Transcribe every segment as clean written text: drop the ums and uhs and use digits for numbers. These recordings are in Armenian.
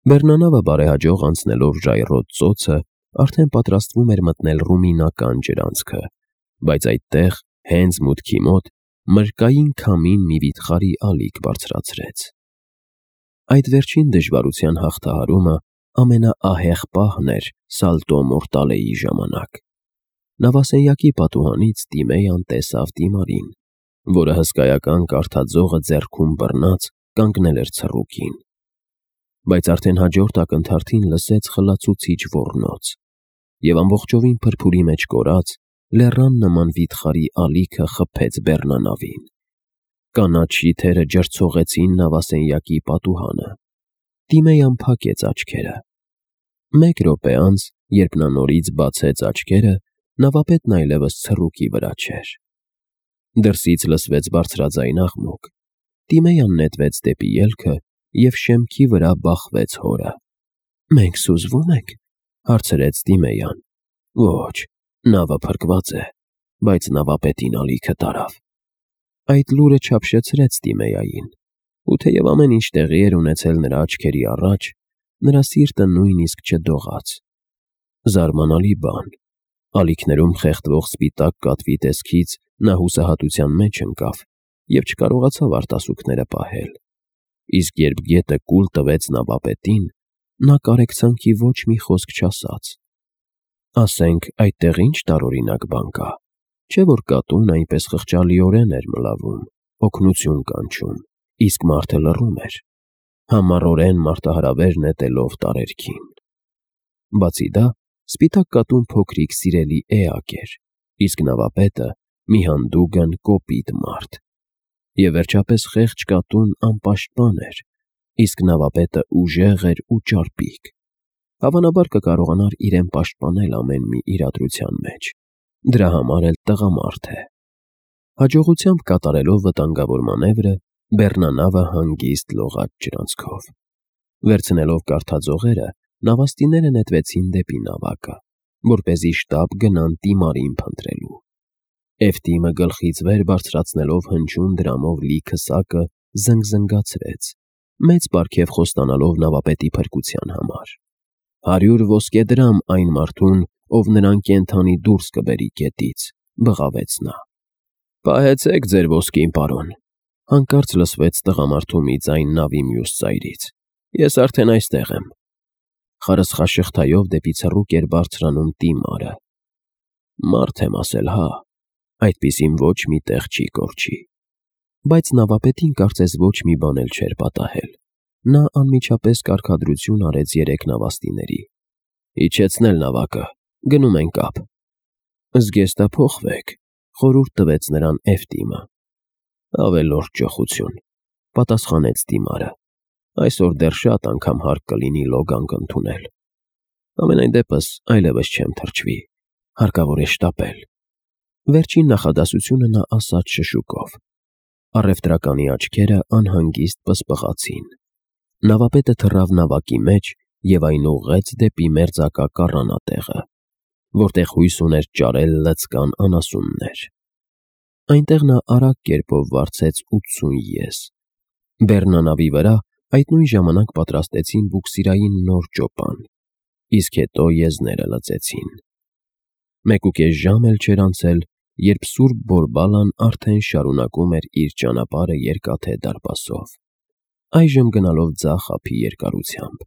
Բեռնանավը բարեհաջող անցնելով ժայռոտ ծոցը, արդեն պատրաստվում էր մտնել ռումինական ջրանցքը, բայց այդտեղ, հենց մուտքի մոտ, մրրկային քամին մի վիթխարի ալիք բարձրացրեց։ Այդ վերջին դժվարության հաղթահարումը ամենաահեղ պահն էր Սալտո Մորտալեի ժամանակ։ Նավասենյակի պատուհանից Տիմեյան տեսավ Տիմարին, որը հսկայական կարթաձողը ձեռքում բռնած կանգնել էր ցռուկին։ Բայց արդեն հաջորդ ակնթարթին լսեց խլացուցիչ ոռնոց, և ամբողջովին փրփուրի մեջ կորած, լեռան նման վիթխարի ալիքը խփեց բեռնանավին։ Կանաչ շիթերը ջրցողեցին նավասենյակի պատուհանը։ Տիմեյան փակեց աչքերը։ Մեկ րոպե անց, երբ նա նորից բացեց աչքերը, նավապետն այլևս ցռուկի վրա չէր։ Դրսից լսվեց բարձրաձայն աղմուկ։ Տիմեյան նետվեց դեպի ելքը և շեմքի վրա բախվեց հորը։ «Մենք սուզվո՞ւմ ենք», հարցրեց Տիմեյան։ «Ոչ, նավը փրկված է, բայց նավապետին ալիքը տարավ»։ Այդ լուրը չափշեցրեց Տիմեյային, ու թեև ամեն ինչ տեղի էր ունեցել նրա աչքերի առաջ, նրա սիրտը նույնիսկ չդողաց։ Զարմանալի բան։ Ալիքներում խեղդվող սպիտակ կատվի տեսքից նա հուսահատության մեջ ընկավ և չկարողացավ արտասուքները պահել։ Իսկ երբ գետը կուլ տվեց նավապետին, նա կարեկցանքի ոչ մի խոսք չասաց։ Ասենք, այդտեղ ինչ տարօրինակ բան կա, չէ՞ որ կատուն այնպես խղճալիորեն էր մլավում, օգնություն կանչում, իսկ մարդը լռում էր, համառորեն մարտահրավեր նետելով տարերքին։ Բացի դա, սպիտակ կատուն փոքրիկ սիրելի էակ էր, իսկ նավապետը մի հանդուգն կոպիտ մարդ։ Եվ վերջապես խեղճ կատուն անպաշտպան էր, իսկ նավապետը ուժեղ էր ու ճարպիկ։ Հավանաբար կկարողանար իրեն պաշտպանել ամեն մի իրադրության մեջ։ Դրա համար էլ տղամարդ է։ Հաջողությամբ կատարելով վտանգավոր մանևրը, բեռնանավը հանգիստ լողաց ջրանցքով։ Վերցնելով կարթաձողերը, նավաստիները նետվեցին դեպի նավակը, որպեսզի շտապ գնան Տիմարին փնտրելու։ Էֆտիմը գլխից վեր բարձրացնելով հնչյուն դրամով լիքը սակը զնգզնգացրեց, մեծ պարգև խոստանալով նավապետի փրկության համար։ 100 ոսկե դրամ այն մարդուն, ով նրան կենդանի դուրս կբերի գետից, բղավեց նա։ Պահեցեք ձեր ոսկին, պարոն, հանկարծ լսվեց տղամարդու մի ձայն նավի մյուս ծայրից։ Ես արդեն այստեղ եմ։ Խարսխաշղթայով դեպի ցռուկ էր բարձրանում Տիմարը։ Մարդ եմ ասել, հա, այդպիսին ոչ մի տեղ չի կորչի։ Բայց նավապետին կարծես ոչ մի բան էլ չէր պատահել։ Նա անմիջապես կարգադրություն արեց 3 նավաստիների։ Իջեցնել նավակը, գնում ենք ափ։ Զգեստափոխվեք, խորհուրդ տվեց նրան Էֆտիմը։ Ավելորդ ճոխություն, պատասխանեց Տիմարը։ Այսօր դեռ շատ անգամ հարկ կլինի լոգանք ընդունել։ Համենայն դեպս այլևս չեմ թրջվի, հարկավոր է շտապել։ Վերջին նախադասությունը նա ասաց շշուկով։ Առևտրականի աչքերը անհանգիստ պսպղացին։ Նավապետը թռավ նավակի մեջ և այն ուղղեց դեպի մերձակա կառանատեղը, որտեղ հույս ուներ ճարել լցկան անասուններ։ Այնտեղ նա արագ կերպով վարձեց 80 եզ։ Բեռնանավի վրա այդ նույն ժամանակ պատրաստեցին բուքսիրային նոր ճոպան, իսկ հետո եզները լցեցին։ 1.5 ժամ էլ չէր անցել, երբ Սուրբ Բորբալան արդեն շարունակում էր իր ճանապարհը Երկաթե դարպասով, այժմ գնալով ձախ ափի երկարությամբ։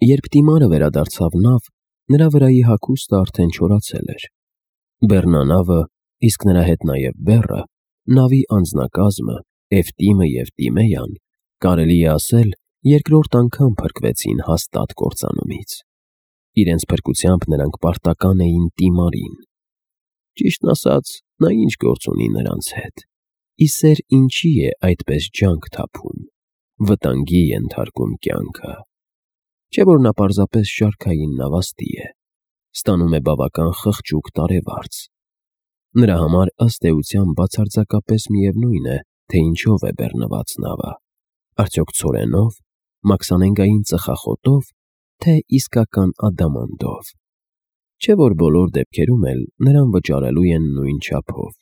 Երբ Տիմարը վերադարձավ նավ, նրա վրայի հագուստը արդեն չորացել էր։ Բեռնանավը, իսկ նրա հետ նաև բեռը, նավի անձնակազմը, Էֆտիմը և Տիմեյան, կարելի է ասել, երկրորդ անգամ փրկվեցին հաստատ կործանումից։ Իրենց փրկությամբ նրանք պարտական էին Տիմարին։ Ճիշտն ասած, նա ինչ գործ ունի նրանց հետ։ Իսեր ինչի է այդպես ջանք թափում, վտանգի ենթարկում կյանքը։ Չէ՞ որ նա պարզապես շարքային նավաստի է, ստանում է բավական խղճուկ տարեվարձ։ Նրա համար ըստ էության բացարձակապես միևնույն է, թե ինչով է բեռնված նավը, արդյոք ցորենով, մաքսանենգային ծխախոտով, թե իսկական ադամանդով։ Չէ՞ որ բոլոր դեպքերում էլ նրան վճարելու են նույն չափով։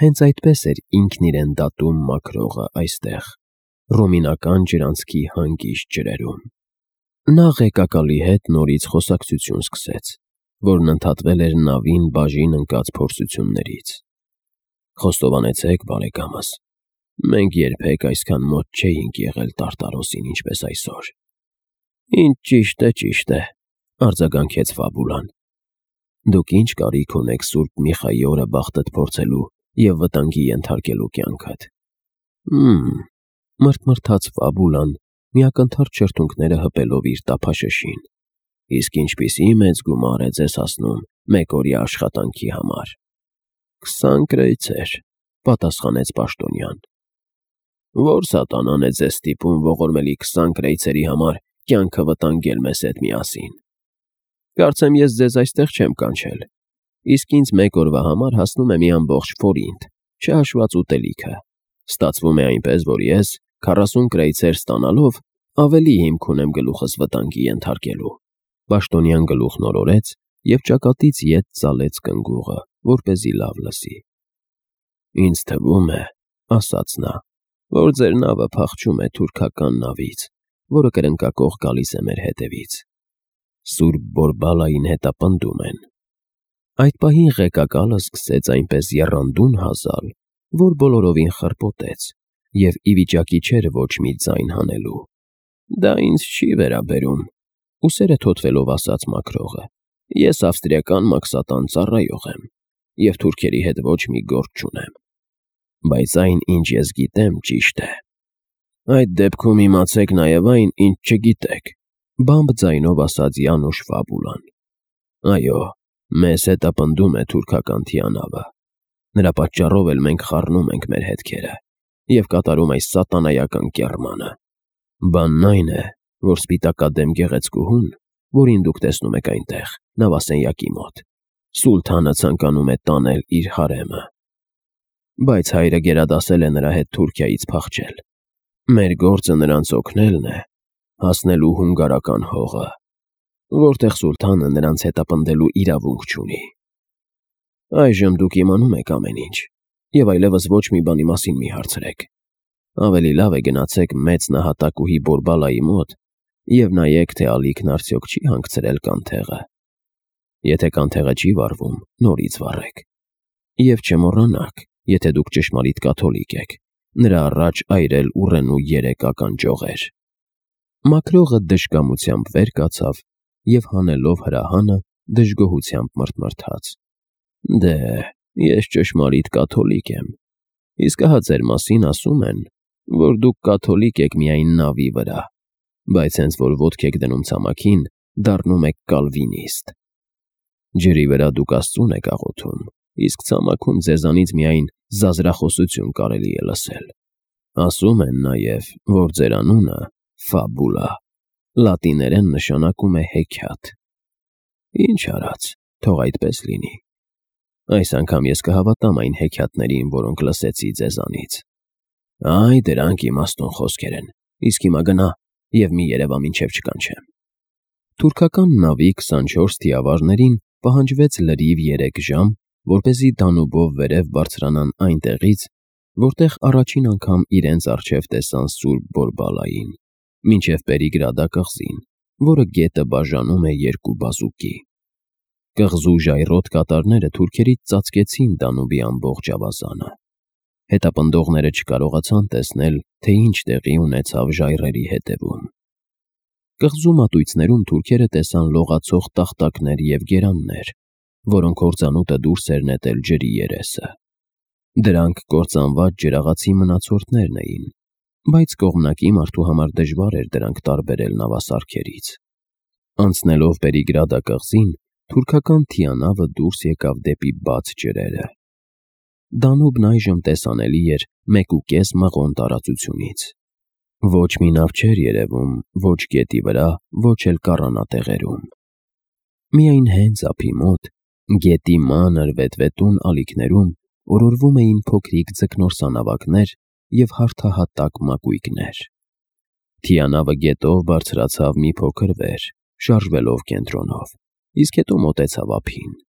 Հենց այդպես էր ինքն իրեն դատում մաքրողը այստեղ, ռումինական ջրանցքի հանգիստ ջրերում։ Նա ղեկակալի հետ նորից խոսակցություն սկսեց, որն ընդհատվել էր նավին բաժին ընկած փորձություններից։ Խոստովանեցեք, բարեկամս, մենք երբեք այսքան մոտ չէինք եղել Տարտարոսին, ինչպես այսօր։ Ինչ ճիշտ է, արձագանքեց Ֆաբուլան։ Դուք ինչ կարիք ունեք Սուրբ Միխայի օրը բախտդ փորձելու և վտանգի ենթարկելու կյանքդ։ Մրթմրթաց Ֆաբուլան, միակնթարթ շրթունքները հպելով իր տափաշշին։ Իսկ ինչպիսի մեծ գումար է ձեզ հասնում մեկօրյա աշխատանքի համար։ 20 կրայցեր, պատասխանեց պաշտոնյան։ Որ սատանան է ձեզ ստիպում ողորմելի 20 կրայցերի համար կյանքը վտանգել մեզ հետ միասին։ Կարծեմ ես ձեզ այստեղ չեմ կանչել, իսկ ինձ մեկ օրվա համար հասնում է մի ամբողջ ֆորինտ, չհաշված ուտելիքը։ Ստացվում է այնպես, որ ես 40 կրայցեր ստանալով ավելի հիմք ունեմ գլուխս վտանգի ենթարկելու։ Պաշտոնյան գլուխն օրորեց և ճակատից ետ ծալեց կնգուղը, որպեսզի լավ լսի։ Ինձ թվում է, ասաց նա, որ ձեր նավը փախչում է թուրքական նավից, որը կրնկակող գալիս է մեր հետևից։ Սուրբ Բորբալային հետապնդում են։ Այդ պահին ղեկակալը սկսեց այնպես եռանդուն հազալ, որ բոլորովին խրպոտեց և ի վիճակի չէր ոչ մի ձայն հանելու։ Դա ինձ չի վերաբերում, ուսերը թոթվելով ասաց մաքրողը։ Ես ավստրիական մաքսատան ծառայող եմ և թուրքերի հետ ոչ մի գործ չունեմ։ Բայց այն, ինչ ես գիտեմ, ճիշտ է։ Այդ դեպքում իմացեք նաև այն, ինչ չգիտեք, բամբ ձայնով ասաց Յանուշ Ֆաբուլան։ Այո, մեզ հետապնդում է թուրքական թիանավը։ Նրա պատճառով էլ մենք խառնում ենք մեր հետքերը և կատարում այս սատանայական կեռմանը։ Բանն այն է, որ սպիտակադեմ գեղեցկուհուն, որին դուք տեսնում եք այնտեղ, նավասենյակի մոտ, սուլթանը ցանկանում է տանել իր հարեմը։ Բայց հայրը գերադասել է նրա հետ Թուրքիայից փախչել։ Մեր գործը նրանց օգնելն է, հասնելու հունգարական հողը, որտեղ սուլթանը նրանց հետապնդելու իրավունք չունի։ Այժմ դուք իմանում եք ամեն ինչ, և այլևս ոչ մի բանի մասին մի հարցրեք։ Ավելի լավ է գնացեք մեծ նահատակուհի Բորբալայի մոտ և նայեք, թե ալիքն արդյոք չի հանգցրել կանթեղը։ Եթե կանթեղը չի վառվում, նորից վառեք։ Եվ չմոռանաք, եթե դուք ճշմարիտ կաթոլիկ եք, նրա առաջ այրել ուռենու 3 ականջողեր։ Մաքրողը դժկամությամբ վեր կացավ և հանելով հրահանը դժգոհությամբ մրթմրթաց. Դե, ես ճշմարիտ կաթոլիկ եմ, իսկ ահա ձեր մասին ասում են, որ դուք կաթոլիկ եք միայն նավի վրա, բայց հենց որ ոտք եք դնում ցամաքին, դառնում եք կալվինիստ։ Ջրի վրա դուք Աստծուն եք աղոթում, իսկ ցամաքում ձեզանից միայն զազրախոսություն կարելի է լսել։ Ասում են նաև, որ ձեր անունը Ֆաբուլա լատիներեն նշանակում է հեքիաթ։ Ինչ արած, թող այդպես լինի։ Այս անգամ ես կհավատամ այն հեքիաթներին, որոնք լսեցի ձեզանից։ Այ, դրանք իմաստուն խոսքեր են, իսկ հիմա գնա և մի երևա մինչև չկանչեմ։ Թուրքական նավի 24 թիավարներին պահանջվեց լրիվ 3 ժամ, որպեսզի Դանուբով վերև բարձրանան այնտեղից, որտեղ առաջին անգամ իրենց առջև տեսան Սուրբ Բորբալային, մինչև Պերիգրադա կղզին, որը գետը բաժանում է 2 բազուկի։ Կղզու ժայռոտ կատարները թուրքերից ծածկեցին Դանուբի ամբողջ ավազանը։ Հետապնդողները չկարողացան տեսնել, թե ինչ տեղի ունեցավ ժայռերի հետևում։ Կղզու մատույցներում թուրքերը տեսան լողացող տախտակներ և գերաններ, որոնք հորձանուտը դուրս էր նետել ջրի երեսը։ Դրանք կործանված ջրաղացի մնացորդներն էին, բայց կողմնակի մարդու համար դժվար էր դրանք տարբերել նավասարքերից։ Անցնելով Պերիգրադա կղզին, թուրքական թիանավը դուրս եկավ դեպի բաց ջրերը։ Դանուբն այժմ տեսանելի էր 1,5 մղոն տարածությունից։ Ոչ մի նավ չէր երևում ոչ գետի վրա, ոչ էլ կառանատեղերում։ Միայն հենց ափի մոտ, գետի մանր վետվետուն ալիքներում օրորվում էին փոքրիկ ձկնորսանավակներ և հարթահատակ մակույկներ։ Թիանավը գետով բարձրացավ մի փոքր վեր, շարժվելով կենտրոնով, իսկ հետո մոտեցավ ափին։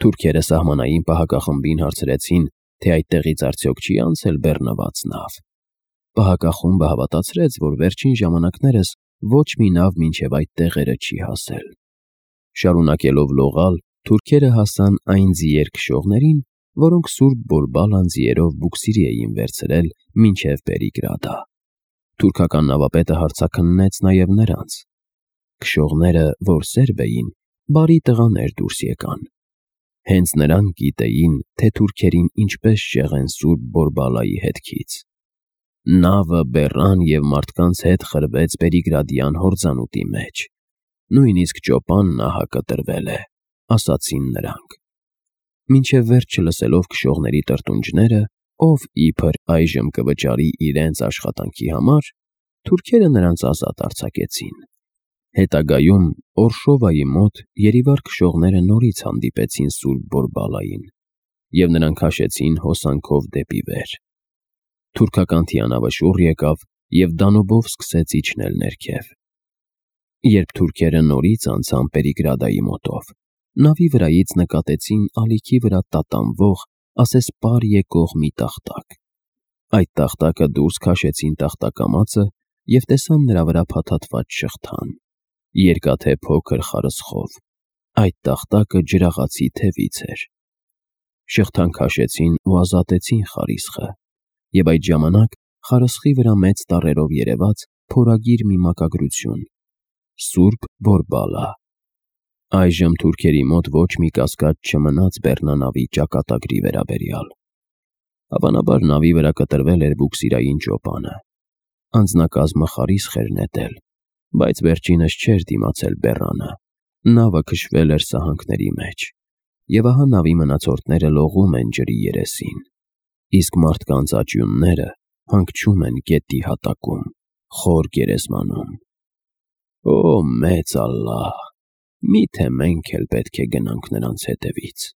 Թուրքերը սահմանային պահակախմբին հարցրեցին, թե այդտեղից արդյոք չի անցել բեռնված նավ։ Պահակախումբը հավատացրեց, որ վերջին ժամանակներս ոչ մի նավ մինչև այդ տեղերը չի հասել։ Շարունակելով լողալ, թուրքերը հասան այն ձիեր քշողներին, որոնք Սուրբ Բորբալան ձիերով բուքսիրի էին վերցրել մինչև Պերիգրադա։ Թուրքական նավապետը հարցաքննեց նաև նրանց։ Քշողները, որ սերբ էին, բարի տղաներ դուրս եկան։ Հենց նրանք գիտեին, թե թուրքերին ինչպես շեղեն Սուրբ Բորբալայի հետքից։ Նավը բեռան և մարդկանց հետ խրվեց Պերիգրադյան հորձանուտի մեջ։ Նույնիսկ ճոպան նահակը տրվել է, ասացին նրանք։ Մինչև վերջ չլսելով քշողների տրտունջները, ով իբր այժմ կվճարի իրենց աշխատանքի համար, թուրքերը նրանց ազատ արձակեցին։ Հետագայում Օրշովայի մոտ երիվար քշողները նորից հանդիպեցին Սուրբ Բորբալային, և նրանք քաշեցին հոսանքով դեպի վեր։ Թուրքական թիանավը շուռ եկավ և Դանուբով սկսեց իջնել ներքև։ Երբ թուրքերը նորից անցան Պերիգրադայի մոտով, նավի վրայից նկատեցին ալիքի վրա տատանվող, ասեսպար եկող մի տախտակ։ Այդ տախտակը դուրս քաշեցին տախտակամածը և տեսան նրա վրա փաթաթված շղթան, երկաթե փոքր խարսխով։ Այդ տախտակը ջրաղացի թևից էր։ Շղթան քաշեցին ու ազատեցին խարիսխը, և այդ ժամանակ խարսխի վրա մեծ տառերով երևաց փորագիր մի մակագրություն՝ Սուրբ Բորբալա։ Այժմ թուրքերի մոտ ոչ մի կասկած չմնաց բեռնանավի ճակատագրի վերաբերյալ։ Հավանաբար նավի վրա կտրվել էր բուքսիրային ճոպանը։ Անձնակազմը խարիսխ էր նետել, բայց վերջինս չէր դիմացել բեռանը։ Նավը քշվել էր սահանքների մեջ, և ահա նավի մնացորդները լողում են ջրի երեսին, իսկ մարդկանց աճյունները հանգչում են գետի հատակում, խոր գերեզմանում։ Օ, մեծ Ալլահ, մի՞թե մենք էլ պետք է գնանք նրանց հետևից։